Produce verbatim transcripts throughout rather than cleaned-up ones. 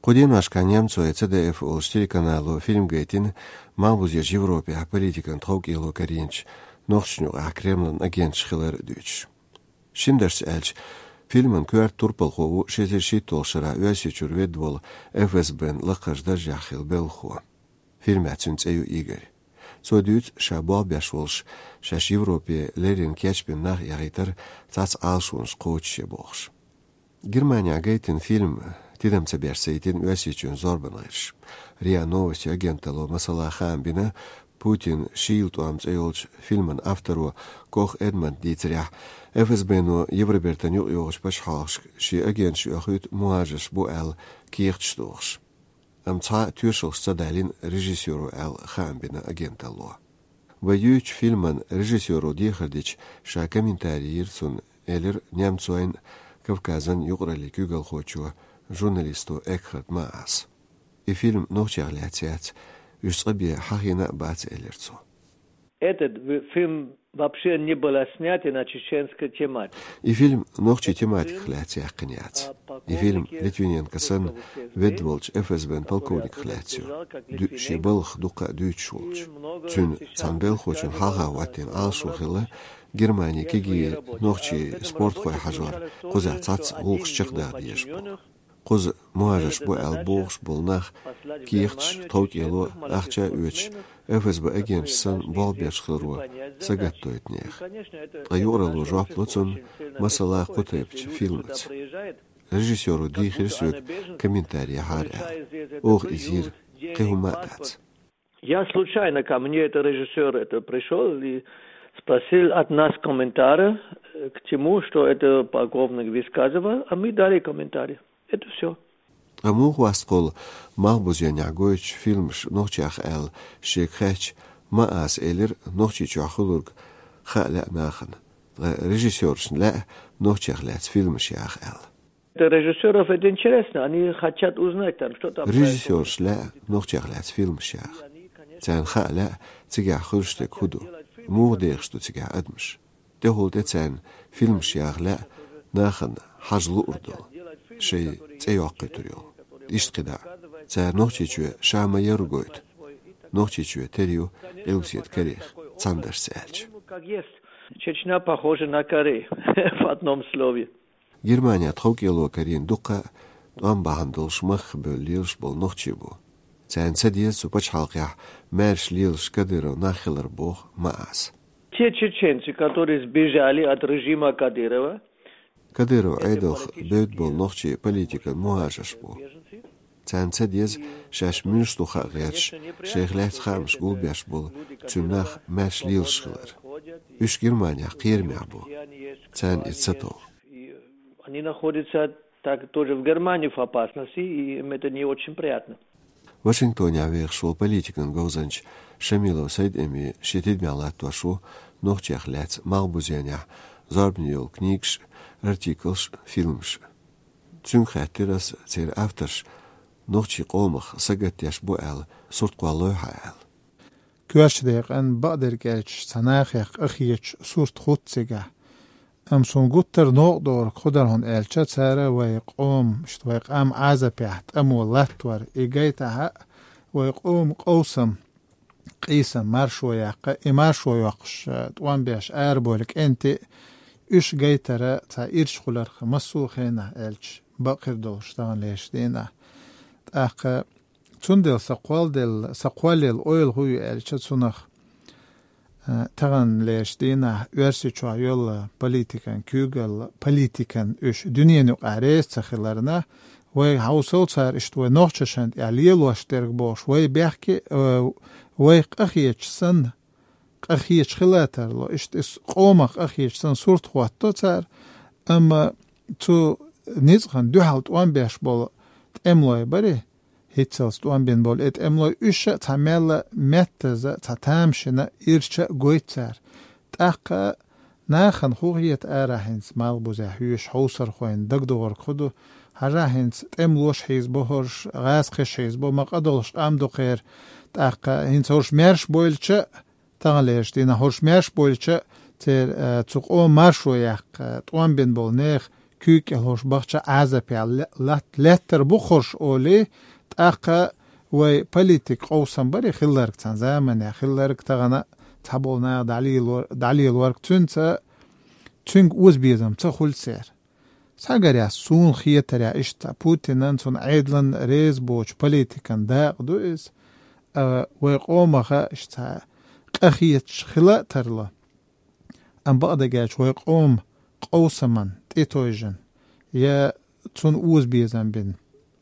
Кху деношкахь немцойн Ц Д Ф олуш телеканало фильм гайтина малхбузерчу Европехь политикан тховкӀело карийначу нохчашна юкъахь Кремлан агенташ хилар дуьйцуш. Шина дашца аьлча, фильман коьрта турпалхо ву ши эзар шийтталгӀачу шарахь Оьрсийчуьра ведда волу Ф С Б-н лакхарчу даржехь хилла белхахо. Фильмехь цуьнан цӀе ю Игорь. Цо дуьйцу, ша болх беш волуш, шаьш Европе леррина кечбина нах яхийтар цхьацца Ӏалашонаш кхочушъе бохуш. Германехь гайтина фильм тидам ца беш ца йитина Оьрсийчоьнан зорбанан гӀирсаша. РИА Новости агенталло масала хаам бина, Путин шийла тӀом цӀе йолчу фильман авторо Кох Эдмонда дийцарехь, Ф С Б-но Евробертан юкъайогӀучу пачхьалкхашка шен агенташ оьхуьйту мухӀажарш бу аьлла кехаташ дохуш. Амма цхьа а тоьшаллаш ца далийна режиссёро аьлла хаам бина агенталло. Вай юьйцучу фильман режиссёро дехар дича, ша комментарий йира цунна, элира немцойн, Кавказан юкъараллин куьйгалхочо, журналисто Экхард Мааса. И фильм нохчех лаьцна яц, уьш цкъа бен хьахийна а бац, элира цо. Этот в- фильм вообще не был снят на чеченскую тематику. И фильм нохчийн тематиках лаьцна яьккхина яц. И фильм Литвиненко санна ведда волчу Ф С Б-н полковниках лаьцна ю, ду- шен балхах дуккха а дуьйцуш волчу. Цуьнан цхьана белхахочун хьалха хӀоттийна Ӏалашо хилла, Германин кегий нохчийн спортхой хьажор кхузахь цхьацца гӀуллакхаш чекхдаха дезаш боху. Кхуза мухӀажарш бу аьлла бохуш болу нах кехаташ, тховкӀело, ахча а оьцуш, Ф С Б агенташ санна болх беш хиларо сагатдойту нехан. Ткъа юкъаралло жоп ло цунна масала кху тайпанчу фильмаца. Режиссёро дийхира соьга комментарий яхьара аьлла. Оха иза йира, кхин хӀума а дац. Я случайно, ко мне это режиссёр это пришёл и спросил от нас комментария, э, к тому, что это полковник высказывал, а мы дали комментарий. Это всё. Ткъа муха васт кхул малхбузенехь гойтучу фильмаш нохчех аьлла шега хаьттича, Мааса элира, Нохчийчохь хуьлург хаа лаьа нахана. Ткъа режиссёршна лаьа нохчех лаьцна фильмаш яха аьлла. Для режиссёров это интересно, они хотят узнать там, что там происходит. Режиссёршна лаьа нохчех лаьцна фильмаш яха. Царна хаа лаьа, цигахь хуьлуш дерг хӀун ду, муха дехаш ду цигахь адамаш. ТӀехула тӀе царна фильмаш яха лаьа, нахана хьажа луур долу, шайн цӀе йоккхуьйтур йолу. Иштта кхидӀа а. Цара Нохчийчоь ша ма-ярра гойту. Нохчийчоь тера ю къилбаседа Корех, цхьана дашца аьлча. Ну, как есть. Чечня похожа на Корею в одном слове. Германехь тховкӀело карийна дуккха а тӀом бахьана долуш махках бевлла лелаш болу нохчий бу. Царна ца деза цу пачхьалкхехь маьрша лелаш Кадыровн нах хилар, боху Мааса. Те чеченцы, которые сбежали от режима Кадырова. Кадыровн Ӏедалх бевдда болу нохчий политикан мухӀажарш бу. Царна ца деза шаьш муьлш ду хаа гӀерташ, шайх лаьцна хаамаш гулбеш болу цуьнан нах маьрша лелаш хилар. Уьш Германехь кхерамехь бу. Царна иза ца тов. И они находятся так тоже в Германии в опасности, и им это не очень приятно. Вашингтонехь вехаш волу политикан говзанча Шамилов Сайд-Эми шен тидамехь латтош ву нохчех лаьцна малхбузенехь зорбане йолу книгаш, артиклаш, фильмаш. Цуьнга хаьттира ас, церан авторш нохчийн къомах сагатдеш бу аьлла сурт кхоллалой хьан аьлла. Коьртачу декъан бакъдерг аьлча, цхьа нахех къахеташ сурт хӀутту цигахь. Амма суна гуттар а новкъа догӀург хӀун дара хьуна аьлча, цара вай къоман, иштта вай къам Ӏазапехь тӀамо латтор, и гайтахь а, вай къоман къовсам, къийсам маршо яккха, и маршо йоккхуш, тӀом беш арабевлла кӀентий а, уьш гайтар цхьа ирча хиларх массо а хенахь аьлча, бакъ хир долуш таханлерчу дийнахь. ТӀаккха цундела сан кхолладелла, сан кхоллаелла ойла хӀун ю аьлча цунах, а, таханлерчу дийнахь Оьрсийчохь йолу политикан куьйгалла, политикан уьш дуьненан юкъахь реза ца хиларна, вай хьовсал цара иштта вай нохчашна тӀехь лелош дерг бохуш, вай бехке, а, вай къахеташ санна, къахеташ хила тарло, иштта иза къомах къахеташ санна сурт хӀотто цара, амма цу ницкъана дуьхьал тӀом беш болу тӀемалой барий, хӀинццалц тӀом бина болу и тӀемалой, уьш а цхьа мелла меттаза, цхьа тамашийна ирча а гойту цара. ТӀаккха нахана хӀун хета арахь хӀинца малхбузехь хьоьжуш хьовсархойн дагадогӀург хӀун ду? Хьажахь хӀинца тӀемалош хьийзабо хӀорш, гӀазкхиш хьийзабо, ма къа долуш къам ду кхеран. ТӀаккха хӀинца хӀорш маьрша бойлча а, таханлерчу дийнахь хӀорш маьрша бойлча а, церан, а, цу къоман маршо яккха, а, тӀом бина болу нехан куьйга кӀелхьош бахча Ӏазапе ле-, лат-, леттар бу хорш олий, тӀаккха вай политик къовсам бари хилларг цхьан замане, хилларг тахана цхьаболу наха дӀалелор-, дӀалелорг цуьнца, цуьнга озабезам ца хуьлу церан. Схьагарехь суна хетарехь иштта, Путинан цунна Ӏедалан реза боцу политикан дакъа ду иза, а, вай къомаха иштта къахеташ хила а тарло. Амма бакъдерг аьлча, вай къоман къовсаман тӀетойжина, я цунна озабезам бина,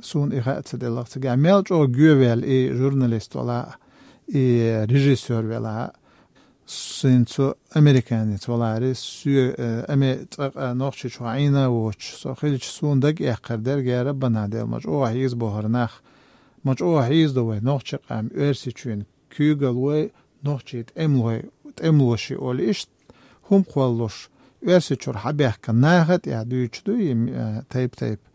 суна и хаа ца делахь, цигахь мел чӀогӀа гӀоьвелла и журналист вала, и режиссёр вала, син цу американец валари, соь, э, аме цӀакъа нохчи чу Ӏийна а воцуш, со хилча суна дага эккхар дерг яра бана дела, ма чӀогӀа хьийза бохура нах, ма чӀогӀа хьийза ду вай нохчи къам, оьрсичуьнан куьйгаллой, нохчий тӀемалой, тӀемалоши олу иштта, хӀума кхоллуш, Оьрсичуьра хьабаьхкина наха тӀехь дуьйцуш ду и, э, тайп-тайпа.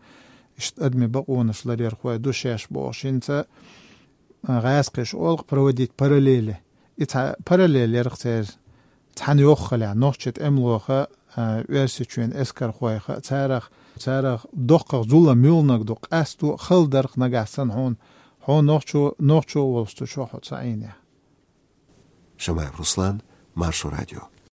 Иштта адамийн бакъонаш ларъярхой ду шаьш бохуш, хӀинца, э, гӀазкхаша олу-кх проводить параллели. И цхьа параллель ярх церан цхьаьна йоххалехь, нохчи тӀемалоха, э, Оьрсичуьнан эскархойха, царах, царах доккхах зулам муьлханиг ду, къасто а хала дарх нагахь санна хьуна, хьо нохчо, нохчо волуш цу чохь хьо ца Ӏийнехь. Шамаев Руслан, Маршо радио.